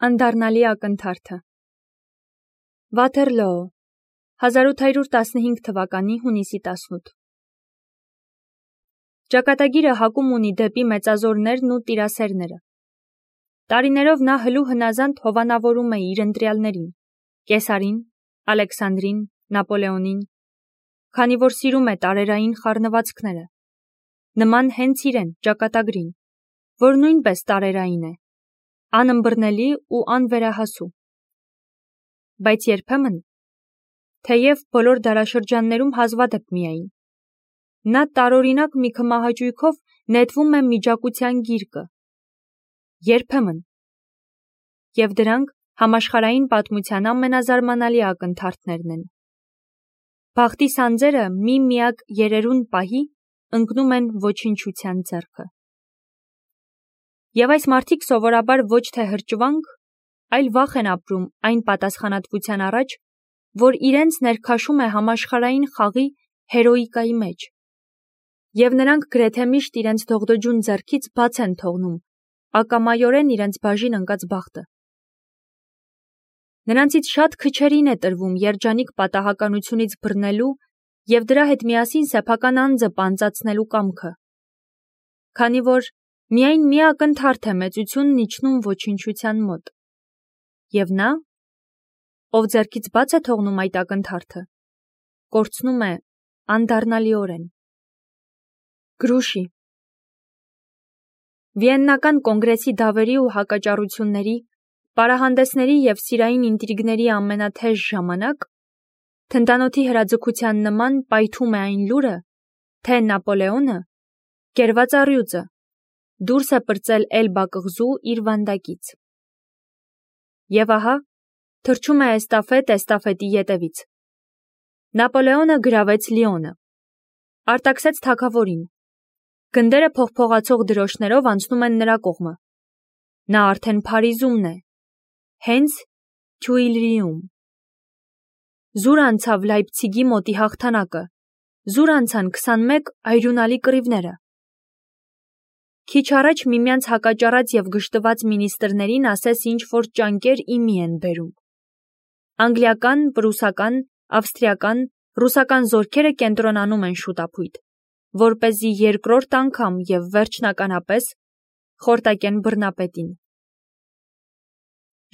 Անդառնալի ակնթարթը Վաթերլոո 1815 թվականի հունիսի 18 Ճակատագիրը հակում ունի դեպի մեծազորներն ու տիրասերները։ Տարիներով նա հլու հնազանդ հովանավորում է իր ընտրյալներին, Կեսարին, Ալեքսանդրին, Նապոլեոնին, քանի որ սիրում է տարերային խառնվածքները, նման հենց իրեն, ճակատագրին, որ նույնպես տարերային է, անըմբռնելի ու անվերահասու։ Բայց երբեմն, թեև բոլոր դարաշրջաններում հազվադեպ միայն, նա տարօրինակ մի քմահաճույքով նետվում է միջակության գիրկը, երբեմն, և դրանք համաշխարհային պատմության ամենազարմանալի ակնթարթներն են։ Բախտի սանձերը մի-միակ երերուն պահի ընկնում են ոչնչության ձեռքը։ Եվ այս մարդիկ սովորաբար ոչ թե հրճվանք, այլ վախ են ապրում այն պատասխանատվության առաջ, որ իրենց ներքաշում է համաշխարհային խաղի հերոիկայի մեջ, և նրանք գրեթե միշտ իրենց դողդոջուն ձեռքից բաց են թողնում ակամայորեն իրենց բաժին ընկած բախտը։ Նրանցից շատ քչերին է տրվում երջանիկ պատահականությունից բռնելու և դրա հետ միասին սեփական անձը պանծացնելու կամքը, քանի որ միայն մի ակնթարթ է մեծությունն իջնում ոչնչության մոտ, և նա, ով ձեռքից բաց է թողնում այդ ակնթարթը, կորցնում է անդառնալիորեն։ Գրուշի Վիեննական կոնգրեսի դավերի ու հակաճառությունների, պարահանդեսների և սիրային ինտրիգների ամենաթեժ ժամանակ, թնդանոթի հրաձգության նման պայթում է այն լուրը, թե Նապոլեոնը, կերված առյուծը, դուրս է պրծել Էլբա կղզու իր վանդակից։ Եվ ահա, թռչում է էստաֆետի ետևից։ Նապոլեոնը գրավեց Լիոնը, արտաքսեց թագավորին, գնդերը փողփողացող դրոշներով անցնում են նրա կողմը։ Նա արդեն Փարիզումն է, հենց Թյուիլրիում։ Զուր անցավ Լայպցիգի մոտի հաղթանակը, զուր անցան 21 այրունալի կռիվները։ Քիչ առաջ միմյանց հակաճառած և գժտված մինիստրներին ասես ինչ-որ ճանկեր իմի են բերում։ Անգլիական, պրուսական, ավստրիական, ռուսական զորքերը կենտրոնանում են շուտափույթ, որպեսզի երկրորդ անգամ և վերջնականապես խորտակեն բռնապետին։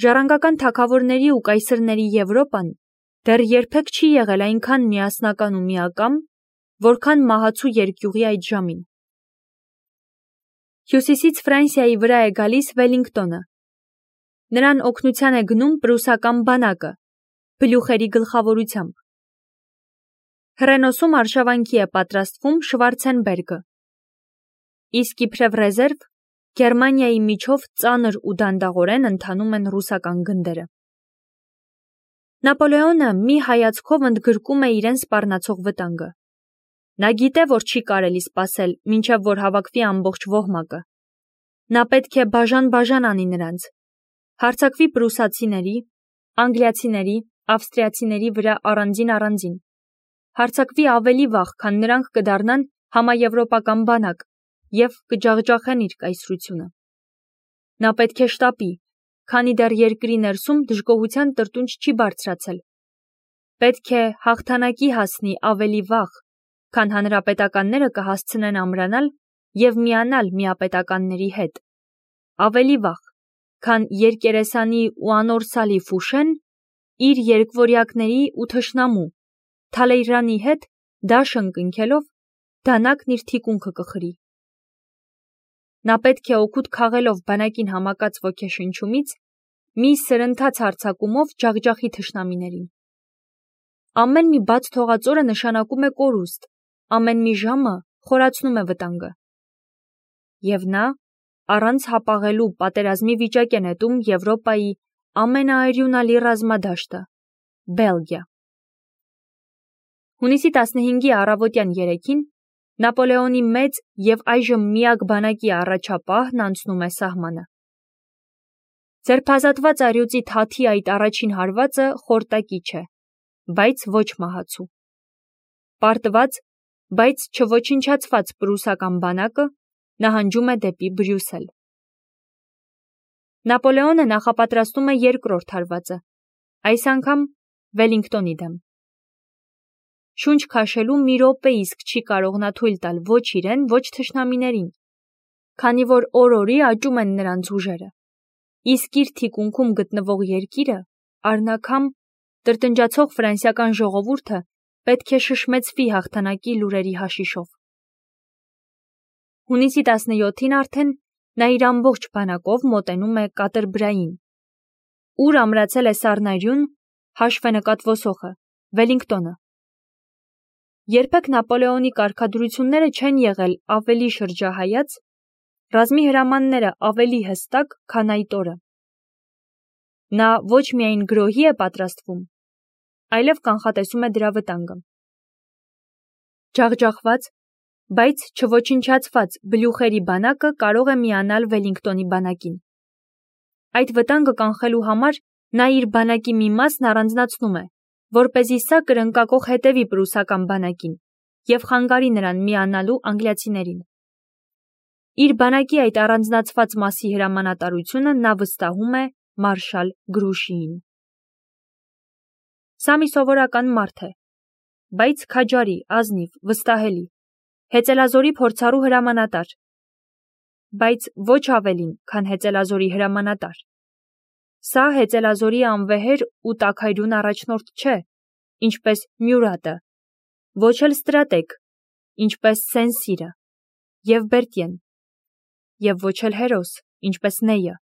Ժառանգական թագավորների ու կայսրների Եվրոպան դեռ երբեք չի եղել այնքան միասնական ու միակամ, որքան մահացու երկյուղի այդ ժամին։ Հյուսիսից Ֆրանսիայի վրա է գալիս Վելլինգտոնը։ Նրան օգնության է գնում պրուսական բանակը, բլյուխերի գլխավորությամբ։ Հռենոսում արշավանքի է պատրաստվում Շվարցենբերգը, իսկ իբրև ռեզերվ Գերմանիայի միջով ծանր ու դանդաղորեն ընթանում են ռուսական գնդերը։ Նապոլեոնը մի հայացքով ընդգրկում է իրեն սպառնացող վտանգը։ Նա գիտե, որ չի կարելի սպասել, մինչև որ հավաքվի ամբողջ ոհմակը։ Նա պետք է բաժան-բաժան անի նրանց, հարձակվի պրուսացիների, անգլիացիների, ավստրիացիների վրա առանձին, հարձակվի ավելի վաղ, քան նրանք կդառնան համաեվրոպական բանակ և կջախջախեն իր կայսրությունը։ Նա պետք է շտապի, քանի դեռ երկրի ներսում դժգոհության տրտունջ չի բարձրացել։ Պետք է հաղթանակի հասնի ավելի վաղ, քան հանրապետականները կհասցնեն ամրանալ և միանալ միապետականների հետ, ավելի վաղ, քան երկերեսանի ու անորսալի Ֆուշեն իր երկվորյակների ու թշնամու Թալեյրանի հետ դաշն կնքելով դանակն իր թիկունքը կխրի։ Նա պետք է օգուտ քաղելով բանակին համակած ոգեշնչումից մի սրընթաց հարձակումով ջախջախի թշնամիներին։ Ամեն մի բաց թողածորը նշանակում է կորուստ, ամեն մի ժամը խորացնում է վտանգը։ Եվ նա առանց հապաղելու պատերազմի վիճակ է նետում Եվրոպայի ամենաայրունալի ռազմադաշտը՝ Բելգիա։ Հունիսի 15-ի առավոտյան 3-ին Նապոլեոնի մեծ և այժմ միակ բանակի առաջապահն անցնում է սահմանը։ Ձերբազատված առյուծի թաթի այդ առաջին հարվածը խորտակիչ է, բայց ոչ մահացու։ Պարտված, բայց չոչնչացված պրուսական բանակը նահանջում է դեպի Բրյուսել։ Նապոլեոնը նախապատրաստում է երկրորդ հարվածը, այս անգամ Վելինգտոնի դեմ։ Շունչ քաշելու մի րոպեիսկ չի կարող նա թույլ տալ ոչ իրեն, ոչ թշնամիներին, քանի որ օր-օրի աճում են նրանց ուժերը։ Իսկ իր թիկունքում գտնվող երկիրը, առնաքամ տրտնջացող ֆրանսիական ժողովուրդը պետք է շշմեցվի հաղթանակի լուրերի հաշիշով։ Հունիսի 17-ին արդեն նա իր ամբողջ բանակով մոտենում է Կատրբրային, ուր ամրացել է Սառնարյուն հաշվենկատ ոսոխը, Վելինգտոնը։ Երբեք Նապոլեոնի կարգադրությունները չեն եղել ավելի շրջահայաց, ռազմի հրամանները ավելի հստակ, քան այդ օրը։ Նա ոչ միայն գրոհի է պատրաստվում, այլև կանխատեսում է դրա վտանգը։ Ջախջախված, բայց չոչնչացված բլյուխերի բանակը կարող է միանալ Վելինգտոնի բանակին։ Այդ վտանգը կանխելու համար նա իր բանակի մի մասն առանձնացնում է, որպեսզի սա կրնկակող հետևի պրուսական բանակին և խանգարի նրան միանալու անգլիացիներին։ Իր բանակի այդ առանձնացված մասի հրամանատարությունը նա վստահում է մարշալ Գրուշիին։ Սա մի սովորական մարդ է, բայց քաջարի, ազնիվ, վստահելի, հեծելազորի փորձառու հրամանատար, բայց ոչ ավելին, քան հեծելազորի հրամանատար։ Սա հեծելազորի անվեհեր ու տաքայրուն առաջնորդ չէ, ինչպես Մյուրատը, ոչ էլ ստրատեգ, ինչպես Սեն-Սիրը և Բերտիեն, և ոչ էլ հերոս, ինչպես Նեյը։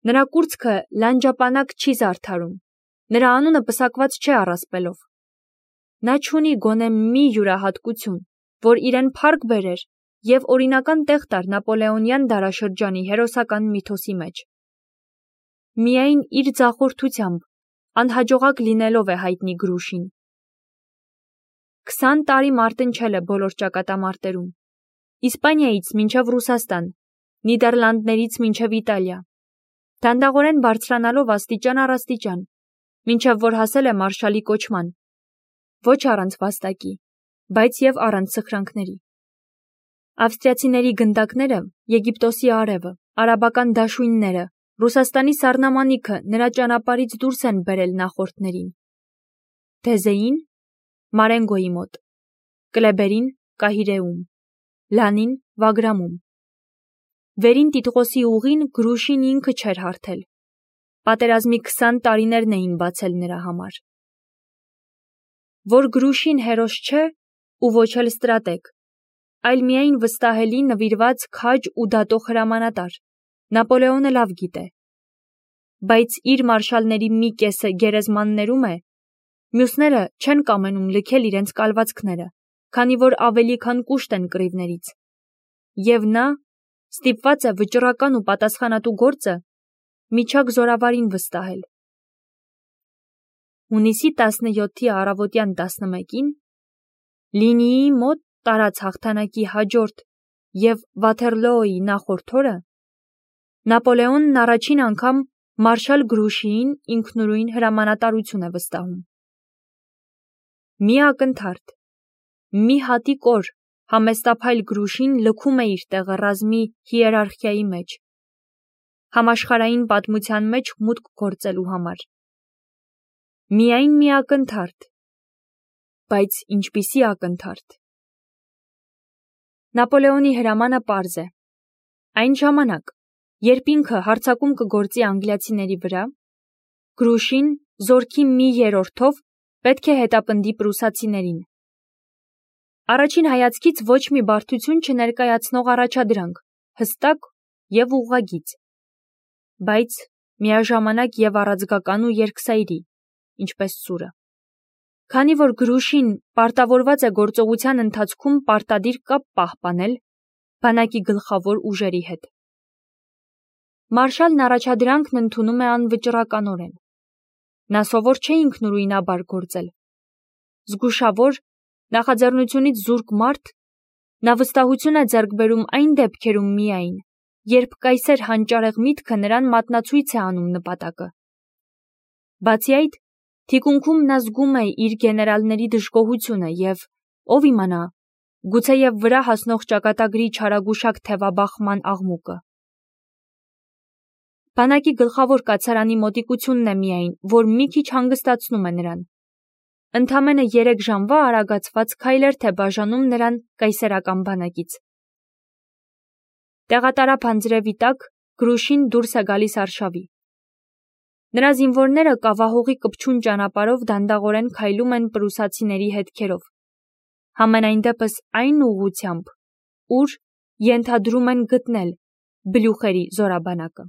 Նրա կուրծքը լանջապանակ չի զարդարում, նրա անունը պսակված չէ առասպելով։ Նա չունի գոնե մի յուրահատկություն, որ իրեն փառք բերեր և օրինական տեղ տար նապոլեոնյան դարաշրջանի հերոսական միթոսի մեջ։ Միայն իր ձախորդությամբ, անհաջողակ լինելով է հայտնի Գրուշին։ 20 տարի մարտնչել է բոլոր ճակատամարտերում, Իսպանիայից մինչև Ռուսաստան, Նիդերլանդներից մինչև Իտալիա, դանդաղորեն բարձրանալով աստիճան առ աստիճան, մինչև որ հասել է մարշալի կոչման, ոչ առանց վաստակի, բայց և առանց սխրանքների։ Ավստրիացիների գնդակները, Եգիպտոսի արևը, արաբական դաշույնները, Ռուսաստանի սառնամանիքը նրա ճանապարհից դուրս են բերել նախորդներին։ Թեզեին Մարենգոյի մոտ, Կլեբերին Կահիրեում, Լանին Վագրամում։ Վերին Տիտղոսի ուղին Գրուշին ինքը չէր հարթել։ Պատերազմի 20 տարիներն էին բացել նրա համար։ Որ Գրուշին հերոս չէ ու ոչ էլ ստրատեգ, այլ միայն վստահելի, նվիրված, քաջ ու դատող հրամանատար, Նապոլեոնը լավ գիտե։ Բայց իր մարշալների մի կեսը գերեզմաններում է, մյուսները չեն կամենում լքել իրենց կալվածքները, քանի որ ավելի քան կուշտ են կռիվներից։ Եվ նա ստիպված է վճռական ու պատասխանատու գործը միջակ զորավարին վստահել։ Հունիսի 17-ի առավոտյան 11-ին Լինիի մոտ տարած հաղթանակի հաջորդ և Վաթերլոոյի նախորդ օրը Նապոլեոնն առաջին անգամ մարշալ Գրուշիին ինքնուրույն հրամանատարություն է վստահում։ Մի ակնթարթ, մի հատիկ օր համեստափայլ Գրուշին լքում է իր տեղը ռազմի հիերարխիայի մեջ, համաշխարհային պատմության մեջ մուտք գործելու համար։ Միայն մի ակնթարթ, բայց ինչպիսի ակնթարթ։ Նապոլեոնի հրամանը պարզ է։ Այն ժամանակ, երբ ինքը հարձակում կգործի անգլիացիների վրա, Գրուշին զորքի մի երրորդով պետք է հետապնդի պրուսացիներին։ Առաջին հայացքից ոչ մի բարդություն չներկայացնող առաջադրանք, հստակ և ուղղագիծ, բայց միաժամանակ և առաձգական ու երկսայրի, ինչպես սուրը։ Քանի որ Գրուշին պարտավորված է գործողության ընթացքում պարտադիր կապ պահպանել բանակի գլխավոր ուժերի հետ։ Մարշալն առաջադրանքն ընդունում է անվճռականորեն։ Նա սովոր չէ ինքնուրույնաբար գործել։ Զգուշավոր, նախաձեռնությունից զուրկ մարդ, նա վստահություն է ձեռք բերում այն դեպքերում միայն, երբ կայսեր հանճարեղ միտքը նրան մատնացույց է անում նպատակը։ Բացի այդ, թիկունքում նա զգում է իր գեներալների դժգոհությունը և, ով իմանա, գուցեև վրա հասնող ճակատագրի չարագուշակ թևաբախման աղմուկը։ Բանակի գլխավոր կացարանի մոտիկությունն է միայն, որ մի քիչ հանգստացնում է նրան։ Ընդամենը 3 ժամվա արագացված քայլեր թե բաժանում նրան կայսերական բանակից։ Տեղատարափ անձրևի տակ Գրուշին դուրս է գալիս արշավի։ Նրա զինվորները կավահողի կպչուն ճանապարհով դանդաղորեն քայլում են պրուսացիների հետքերով, համենայն դեպս այն ուղղությամբ, ուր ենթադրում են գտնել Բլյուխերի զորաբանակը։